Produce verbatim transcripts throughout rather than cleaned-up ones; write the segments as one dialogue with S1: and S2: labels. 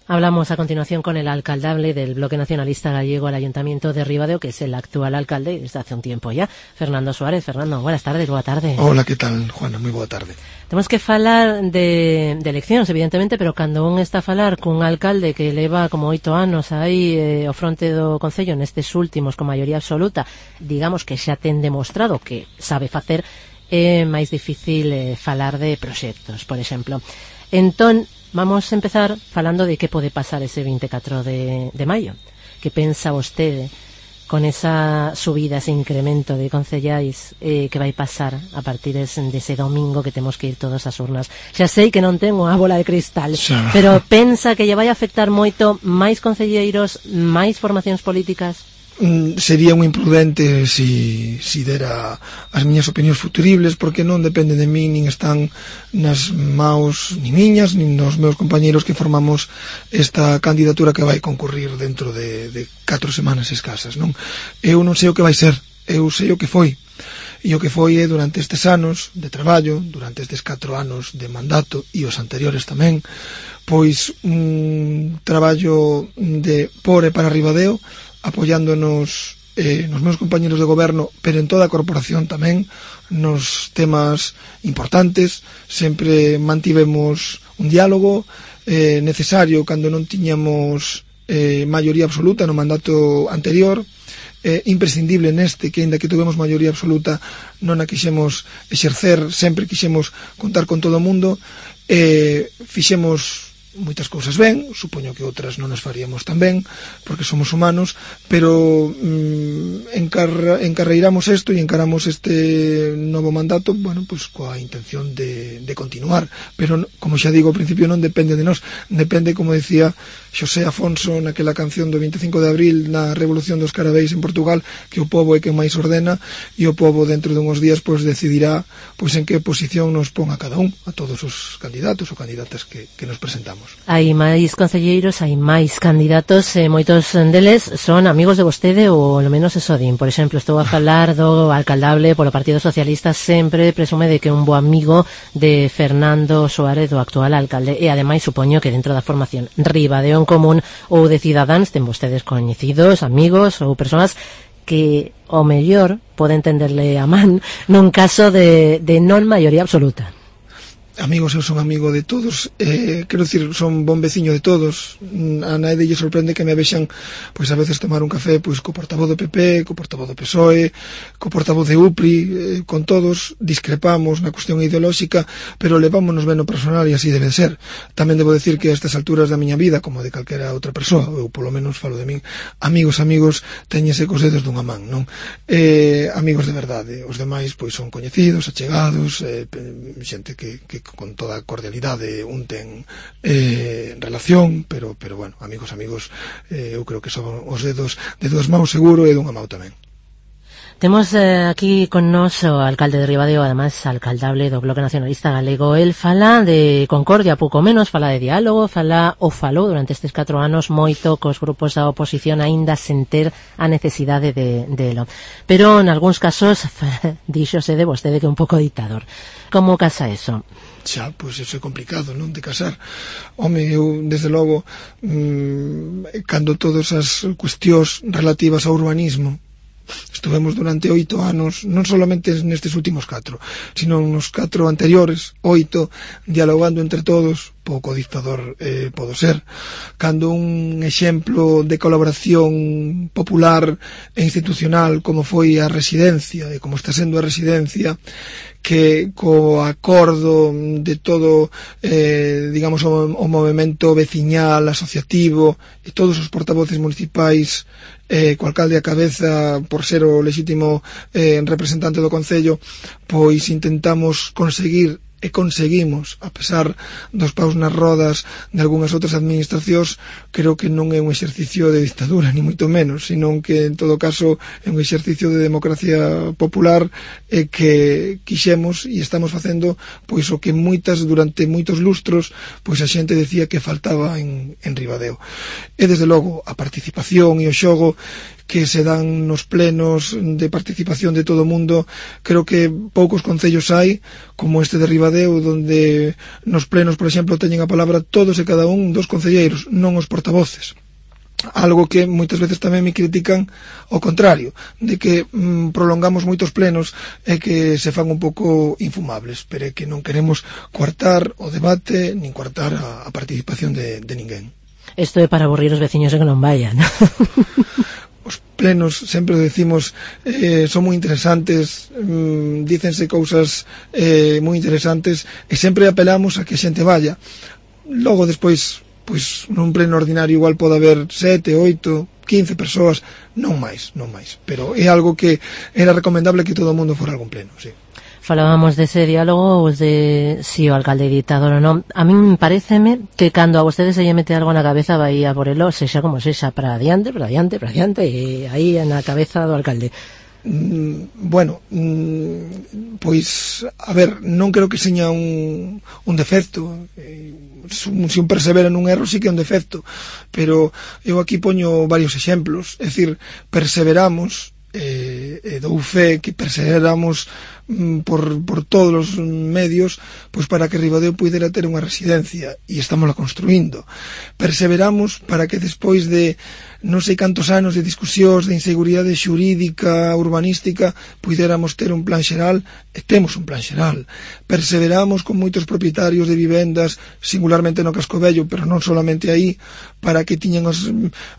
S1: Hablamos a continuación con el alcaldable del Bloque Nacionalista Gallego al Ayuntamiento de Ribadeo, que es el actual alcalde desde hace un tiempo ya, Fernando Suárez. Fernando, buenas tardes, boa tarde.
S2: Hola, que tal, Juana? Moi boa tarde.
S1: Temos que falar de, de eleccións, evidentemente, pero cando un está a falar cun alcalde que leva como oito anos aí eh, ao fronte do Concello nestes últimos con maioría absoluta, digamos que xa ten demostrado que sabe facer, é máis difícil eh, falar de proxectos, por exemplo. Entón, vamos a empezar falando de que pode pasar ese vinte e catro de, de maio. Que pensa vostede con esa subida, ese incremento de concellais eh, que vai pasar a partir dese domingo que temos que ir todos ás urnas? Xa sei que non ten unha bola de cristal, xa, pero pensa que lle vai afectar moito máis concelleiros, máis formacións políticas?
S2: Mm, sería un imprudente si, si dera as miñas opinións futuribles, porque non depende de mí, nin están nas maus ni miñas, nin nos meus compañeiros que formamos esta candidatura que vai concurrir dentro de, de catro semanas escasas, non? Eu non sei o que vai ser, eu sei o que foi, e o que foi é durante estes anos de traballo, durante estes catro anos de mandato e os anteriores tamén, pois un traballo de por e para Ribadeo, apoiándonos eh, nos meus compañeros de goberno, pero en toda a corporación tamén, nos temas importantes. Sempre mantivemos un diálogo eh, necesario cando non tiñamos eh, maioría absoluta no mandato anterior, eh, imprescindible neste, que ainda que tuvemos maioría absoluta non a quixemos exercer, sempre quixemos contar con todo o mundo, eh, fixemos moitas cousas ben, supoño que outras non as faríamos tan ben, porque somos humanos, pero mm, encar encarreiramos isto e encaramos este novo mandato, bueno, pues coa intención de, de continuar, pero como xa digo ao principio non depende de nós, depende, como decía Xosé Afonso naquela canción do vinte e cinco de abril na Revolución dos Carabeis en Portugal, que o pobo é quen máis ordena, e o pobo dentro de uns días pois decidirá pois en que posición nos pon a cada un, a todos os candidatos ou candidatas que, que nos presentamos.
S1: Hai máis concelleiros, hai máis candidatos, e moitos deles son amigos de vostede, ou ao menos eso din. Por exemplo, estou a falar do alcaldable polo Partido Socialista, sempre presume de que é un bo amigo de Fernando Suárez, do actual alcalde, e ademais supoño que dentro da formación Ribadeo en Común ou de Cidadáns ten vostedes coñecidos, amigos ou persoas que ao mellor poden tenderle a man nun caso de, de non maioría absoluta.
S2: Amigos, eu son amigo de todos, eh, quero dicir, son bon veciño de todos. A nadie lle sorprende que me vexan pois a veces tomar un café pois co portavoz do P P, co portavoz do P S O E, co portavoz de U P R I, eh, con todos discrepamos na cuestión ideolóxica, pero levámonos ben no personal e así debe de ser. Tamén debo decir que a estas alturas da miña vida, como de calquera outra persoa, eu polo menos falo de min, amigos, amigos, teñese cos dedos dunha man, non? Eh, amigos de verdade, os demais pois son coñecidos, achegados, eh, xente que, que con toda a cordialidade un ten eh, relación, pero, pero bueno, amigos, amigos, eh, eu creo que son os dedos de dúas mãos seguro e dunha mão tamén.
S1: Temos eh, aquí con nos o alcalde de Ribadeo, además alcaldable do Bloque Nacionalista Galego. El fala de concordia, pouco menos, fala de diálogo, fala ou falou durante estes catro anos moito cos grupos da oposición, aínda sen ter a necesidade de, de lo. Pero en algúns casos díxose de vostede que é un pouco dictador. Como casa eso?
S2: Xa, pois iso é complicado, non, de casar. Home, eu, desde logo, mmm, cando todas as cuestións relativas ao urbanismo estuvemos durante oito anos, non solamente nestes últimos catro, sino nos catro anteriores, oito, dialogando entre todos, pouco dictador eh, podo ser. Cando un exemplo de colaboración popular e institucional como foi a residencia, e como está sendo a residencia, que co acordo de todo, eh, digamos, o, o movimento veciñal, asociativo, e todos os portavoces municipais, eh, co alcalde a cabeza por ser o lexítimo eh, representante do Concello, pois intentamos conseguir e conseguimos, a pesar dos paus nas rodas de algunhas outras administracións, creo que non é un exercicio de dictadura, ni moito menos, sino que en todo caso é un exercicio de democracia popular e que quixemos e estamos facendo pois o que moitas durante moitos lustros pois a xente decía que faltaba en, en Ribadeo. E desde logo a participación e o xogo que se dan nos plenos de participación de todo o mundo. Creo que poucos concellos hai, como este de Ribadeo, donde nos plenos, por exemplo, teñen a palabra todos e cada un dos concelleiros, non os portavoces. Algo que moitas veces tamén me critican ao contrario, de que mm, prolongamos moitos plenos e que se fan un pouco infumables, pero é que non queremos coartar o debate nin coartar a, a participación de, de ninguén.
S1: Isto é para aburrir os veciños e que non vayan.
S2: Os plenos, sempre decimos, eh, son moi interesantes, mm, dícense cousas eh, moi interesantes e sempre apelamos a que a xente vaya. Logo despois, pois nun pleno ordinario igual pode haber sete, oito, quince persoas, non máis, non máis, pero é algo que era recomendable que todo o mundo fora algún pleno, sí.
S1: Falábamos dese diálogo de si o alcalde ditador ou non. A min paréceme que cando a vostedes se lle mete algo na cabeza vai a por elo, sexa como sexa, para adiante, para adiante, para adiante, e aí na cabeza do alcalde.
S2: Mm, bueno, mm, pois, a ver, non creo que seña un, un defecto. Eh, se un persevera nun erro sí que é un defecto, pero eu aquí poño varios exemplos. É dicir, perseveramos, eh, e dou fe que perseveramos mm, por, por todos os medios, pois para que Ribadeo puidera ter unha residencia, e estamos la construindo. Perseveramos para que despois de non sei cantos anos de discusións, de inseguridade xurídica, urbanística, puidéramos ter un plan xeral, e temos un plan xeral. Perseveramos con moitos propietarios de vivendas, singularmente no Casco Vello, pero non solamente aí, para que tiñan os,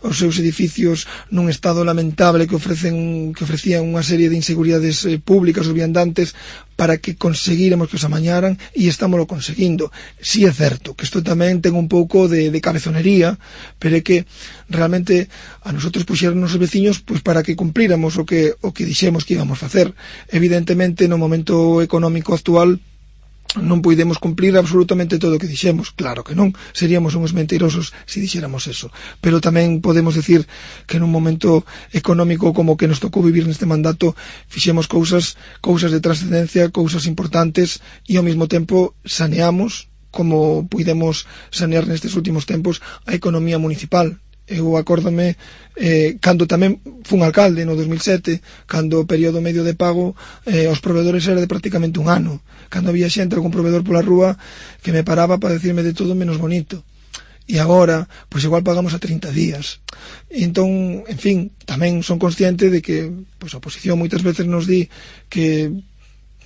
S2: os seus edificios nun estado lamentable que ofrecen que ofrecían unha serie de inseguridades eh, públicas ou viandantes, para que conseguíramos que os amañaran, e estámoslo conseguindo. Si é certo que isto tamén ten un pouco de, de cabezonería, pero é que realmente a nosotros puxeron os veciños pois para que cumplíramos o que o que dixemos que íbamos facer. Evidentemente, no momento económico actual non podemos cumplir absolutamente todo o que dixemos, claro que non, seríamos uns mentirosos se dixéramos eso, pero tamén podemos decir que nun momento económico como que nos tocou vivir neste mandato fixemos cousas, cousas de trascendencia, cousas importantes, e ao mesmo tempo saneamos, como puidemos sanear nestes últimos tempos, a economía municipal. Eu acórdome eh, cando tamén fun alcalde no dos mil sete, cando o período medio de pago eh, os provedores era de prácticamente un ano, cando había xente, algún provedor pola rúa que me paraba para decirme de todo menos bonito, e agora, pois igual pagamos a trinta días. E entón, en fin, tamén son consciente de que pois a oposición moitas veces nos di que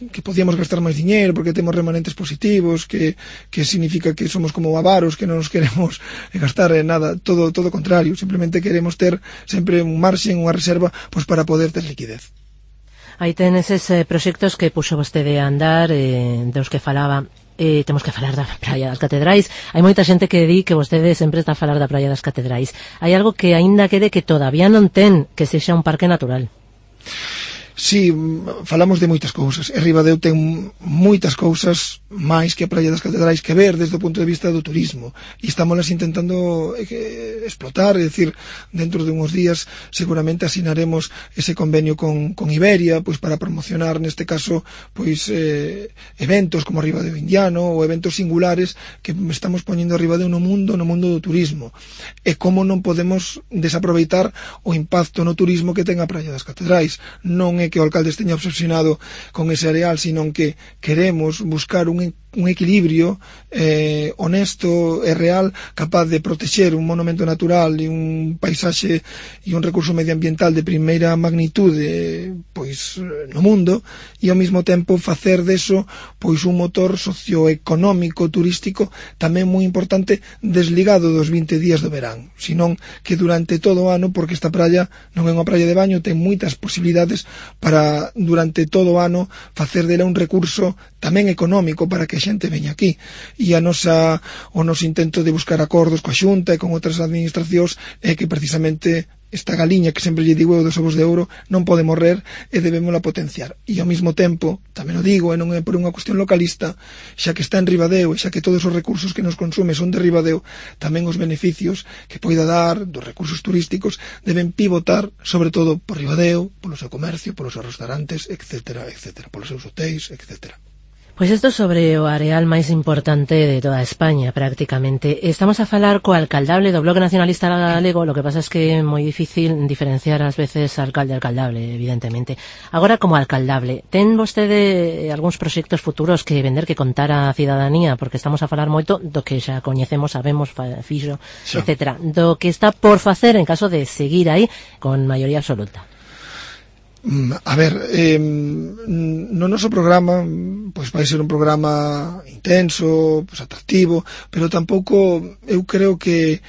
S2: que podíamos gastar máis diñeiro porque temos remanentes positivos, que, que significa que somos como avaros, que non nos queremos gastar en nada, todo todo o contrario, simplemente queremos ter sempre un marxen, unha reserva, pois para poder ter liquidez.
S1: Aí ten eses eh, proxectos que puxo vostede a andar, eh, dos que falaba. Eh, temos que falar da Praia das Catedrais. Hai moita xente que di que vostede sempre está a falar da Praia das Catedrais. Hai algo que aínda quede que todavía non ten, que sexa un parque natural.
S2: Si, falamos de moitas cousas, e Ribadeo ten moitas cousas máis que a Praia das Catedrais que ver desde o punto de vista do turismo, e estámoslas intentando eh, explotar, é dicir, dentro de uns días seguramente asinaremos ese convenio con, con Iberia, pois para promocionar neste caso pois eh, eventos como Ribadeo Indiano ou eventos singulares que estamos poñendo a Ribadeo no mundo, no mundo do turismo, e como non podemos desaproveitar o impacto no turismo que ten a Praia das Catedrais. Non é que o alcalde esteña obsesionado con ese areal, sino que queremos buscar un, un equilibrio eh, honesto e real, capaz de protexer un monumento natural e un paisaxe e un recurso medioambiental de primeira magnitude pois no mundo, e ao mesmo tempo facer deso pois un motor socioeconómico turístico tamén moi importante, desligado dos vinte días do verán, senón que durante todo o ano, porque esta praia non é unha praia de baño, ten moitas posibilidades para durante todo o ano facer dela un recurso tamén económico para que a xente veña aquí, e a nosa, o noso intento de buscar acordos coa Xunta e con outras administracións é que precisamente esta galiña que sempre lle digo eu dos ovos de ouro non pode morrer e debémola potenciar, e ao mesmo tempo, tamén o digo, e non é por unha cuestión localista, xa que está en Ribadeo e xa que todos os recursos que nos consume son de Ribadeo, tamén os beneficios que poida dar dos recursos turísticos deben pivotar sobre todo por Ribadeo, polo seu comercio, polos seus restaurantes, etcétera, etcétera, polos seus hotéis, etcétera.
S1: Pois isto sobre o areal máis importante de toda España, prácticamente. Estamos a falar co alcaldable do Bloque Nacionalista Galego, lo que pasa es que é moi difícil diferenciar ás veces alcalde-alcaldable, evidentemente. Agora, como alcaldable, ten vostede algúns proxectos futuros que vender, que contar á cidadanía, porque estamos a falar moito do que xa coñecemos, sabemos, fixo, etcétera, do que está por facer en caso de seguir aí con maioría absoluta.
S2: A ver, eh, no noso programa pois vai ser un programa intenso, pois atractivo, pero tampouco eu creo que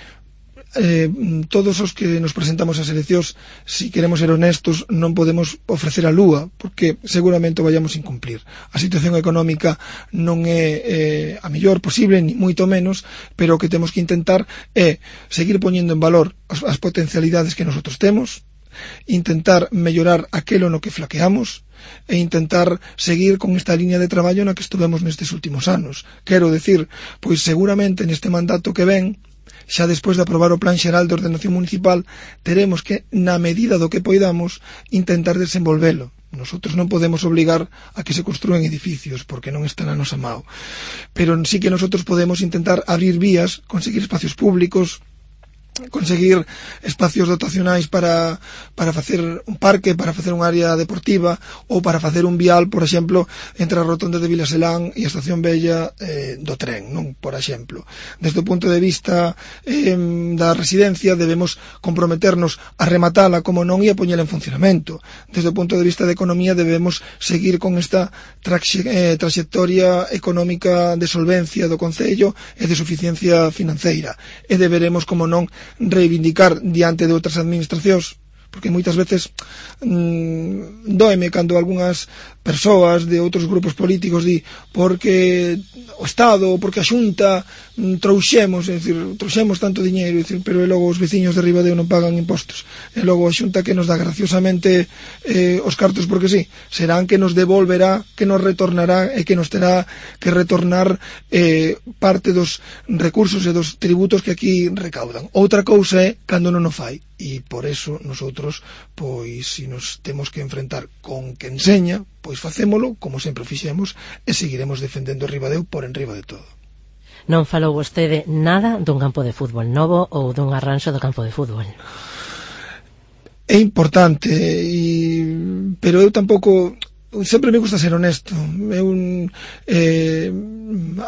S2: eh, todos os que nos presentamos ás eleccións, si queremos ser honestos, non podemos ofrecer a lúa, porque seguramente o vayamos incumplir. A situación económica non é eh, a mellor posible, ni moito menos, pero o que temos que intentar é seguir poñendo en valor as, as potencialidades que nosotros temos, intentar mellorar aquelo no que flaqueamos e intentar seguir con esta línea de traballo na que estuvemos nestes últimos anos. Quero decir, pois seguramente neste mandato que ven, xa despois de aprobar o Plan Xeral de Ordenación Municipal, teremos que, na medida do que poidamos, intentar desenvolvelo. Nosotros non podemos obligar a que se construen edificios, porque non está na nosa mao. Pero sí que nosotros podemos intentar abrir vías, conseguir espacios públicos, conseguir espacios dotacionais para para facer un parque, para facer un área deportiva ou para facer un vial, por exemplo, entre a rotonda de Vilaselán e a estación Bella eh, do tren, non? Por exemplo. Desde o punto de vista eh, da residencia debemos comprometernos a rematala como non e a poñela en funcionamento. Desde o punto de vista de economía debemos seguir con esta traxe, eh, trayectoria económica de solvencia do Concello e de suficiencia financeira. E deberemos, como non, reivindicar diante de outras administracións, porque moitas veces mmm, doeme cando algunhas persoas de outros grupos políticos di porque o Estado ou porque a Xunta mmm, trouxemos, é dicir, trouxemos tanto diñeiro, é dicir, pero e logo os veciños de Ribadeo non pagan impostos, e logo a Xunta que nos dá graciosamente eh, os cartos porque sí, serán que nos devolverá, que nos retornará e que nos terá que retornar eh, parte dos recursos e dos tributos que aquí recaudan. Outra cousa é cando non o fai, e por eso nosotros, pois, se nos temos que enfrentar con que enseña, pois facémolo como sempre fixemos e seguiremos defendendo Ribadeo por enriba de todo.
S1: Non falou vostede nada dun campo de fútbol novo ou dun arranxo do campo de fútbol?
S2: É importante, e... pero eu tampouco... Sempre me gusta ser honesto. Eu, eh,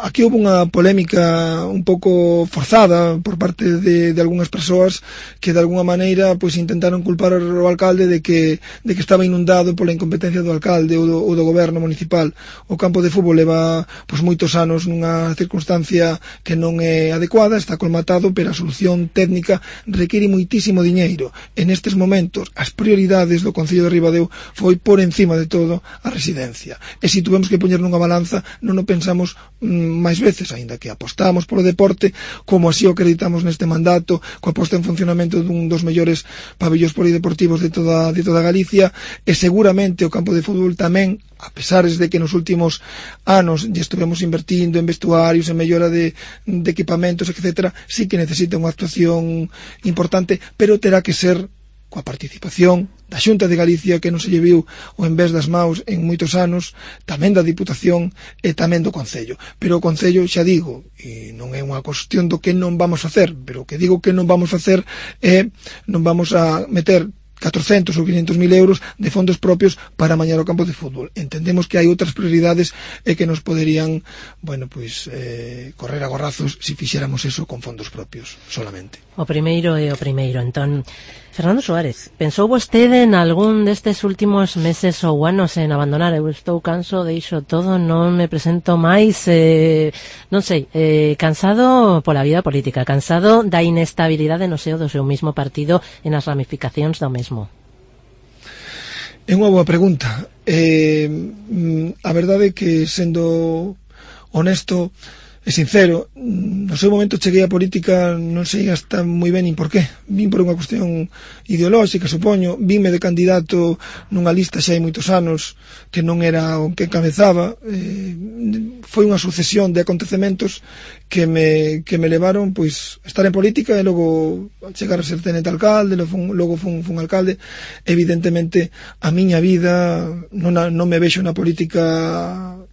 S2: aquí houve unha polémica un pouco forzada por parte de, de algunhas persoas que de alguna maneira pois intentaron culpar ao alcalde de que, de que estaba inundado pola incompetencia do alcalde ou do, ou do goberno municipal. O campo de fútbol leva pois moitos anos nunha circunstancia que non é adecuada, está colmatado, pero a solución técnica require moitísimo diñeiro. En estes momentos as prioridades do Concello de Ribadeo foi por encima de todo a residencia. E se tuvemos que poñer nunha balanza, non o pensamos mm, máis veces, aínda que apostamos polo deporte, como así o acreditamos neste mandato, coa posta en funcionamento dun dos mellores pabellóns polideportivos de toda, de toda Galicia, e seguramente o campo de fútbol tamén, a pesares de que nos últimos anos lle estuvemos invertindo en vestuarios, en mellora de, de equipamentos, etcétera, sí que necesita unha actuación importante, pero terá que ser coa participación da Xunta de Galicia, que non se lle viu o envés das maus en moitos anos, tamén da Diputación e tamén do Concello. Pero o Concello, xa digo, e non é unha cuestión do que non vamos facer, pero o que digo que non vamos facer é non vamos a meter catrocentos ou quinhentos mil euros de fondos propios para amañar o campo de fútbol. Entendemos que hai outras prioridades e que nos poderían, bueno, pois, eh, correr a gorrazos se fixéramos eso con fondos propios solamente.
S1: O primeiro é o primeiro, entón. Fernando Suárez, pensou vostede en algún destes últimos meses ou anos en abandonar? Eu estou canso, deixo todo, non me presento máis, eh, non sei, eh, cansado pola vida política, cansado da inestabilidade no seo do seu mismo partido e nas ramificacións do mesmo.
S2: É unha boa pregunta. Eh, a verdade é que, sendo honesto e sincero, no seu momento cheguei á política, non sei hasta moi ben nin por qué. Vin por unha cuestión ideolóxica, supoño, vinme de candidato nunha lista xa hai moitos anos que non era o que encabezaba. Eh, foi unha sucesión de acontecementos que me, que me levaron pois a estar en política e logo chegar a ser tenente alcalde, logo fun, logo fun, fun alcalde. Evidentemente a miña vida non, non me vexo na política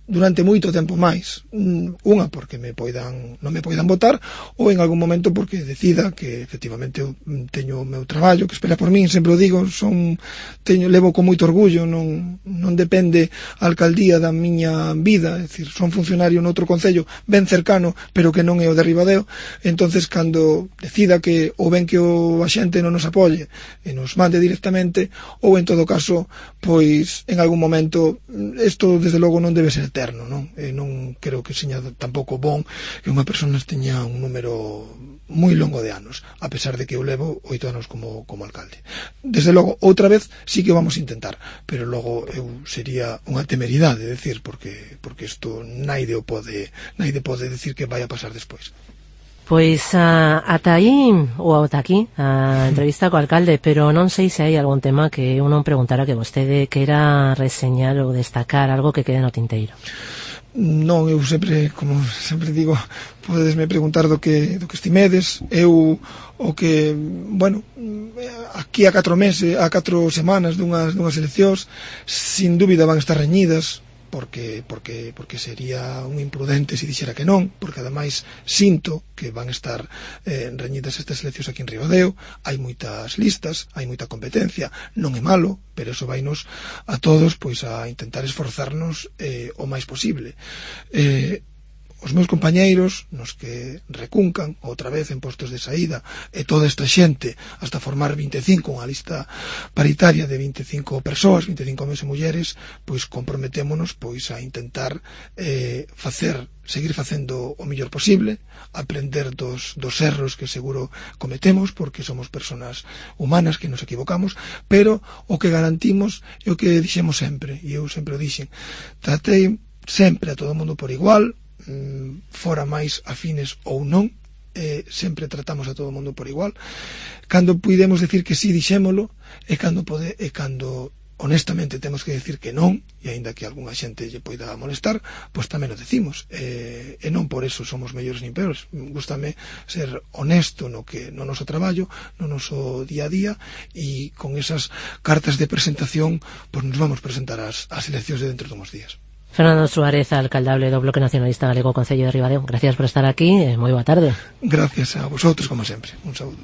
S2: durante moito tempo máis, unha porque me poidan, non me poidan votar, ou en algún momento porque decida que efectivamente eu teño o meu traballo que espera por min, sempre o digo, son teño, levo con moito orgullo, non, non depende a alcaldía da miña vida, é dicir, son funcionario noutro concello ben cercano, pero que non é o de Ribadeo. Entonces cando decida que ou ben que o a xente non nos apoie e nos mande directamente, ou en todo caso pois en algún momento isto desde logo non debe ser eterno, non? E non creo que seña tampouco bon que unha persona teña un número moi longo de anos, a pesar de que eu levo oito anos como, como alcalde. Desde logo, outra vez sí que vamos a intentar, pero logo eu sería unha temeridade, decir, porque porque isto naide o pode, naide pode decir que vai a pasar despois.
S1: Pois uh, ata aí ou ata aquí a entrevista co alcalde, pero non sei se hai algún tema que eu non preguntara que vostede quera reseñar ou destacar, algo que quede no tinteiro.
S2: Non, eu sempre, como sempre digo, podesme preguntar do que do que estimedes. Eu o que, bueno, aquí a catro meses, a catro semanas dunhas dunhas eleccións, sin dúbida van estar reñidas, porque porque porque sería un imprudente se dixera que non, porque ademais sinto que van estar eh, reñidas estas eleccións aquí en Ribadeo. Hai moitas listas, hai moita competencia, non é malo, pero eso vainos a todos pois a intentar esforzarnos eh, o máis posible. Eh, os meus compañeiros, nos que recuncan outra vez en postos de saída, e toda esta xente hasta formar vinte e cinco, unha lista paritaria de vinte e cinco persoas, vinte e cinco homes e mulleres, pois comprometémonos pois a intentar eh, facer, seguir facendo o mellor posible, aprender dos, dos erros que seguro cometemos, porque somos personas humanas que nos equivocamos, pero o que garantimos é o que dixemos sempre, e eu sempre o dixen, tratei sempre a todo o mundo por igual, fora máis afines ou non, eh, sempre tratamos a todo o mundo por igual. Cando puidemos decir que sí, dixémolo, e cando pode, e cando honestamente temos que decir que non, e aínda que algunha xente lle poida molestar, pois tamén o decimos, e, e non por eso somos mellores nin peores. Gústame ser honesto no que no noso traballo, no noso día a día, e con esas cartas de presentación pois nos vamos presentar ás, ás eleccións de dentro de uns días.
S1: Fernando Suárez, alcaldable do Bloque Nacionalista Galego Concello de Ribadeo, gracias por estar aquí e moi boa tarde.
S2: Gracias a vosotros, como sempre. Un saúdo.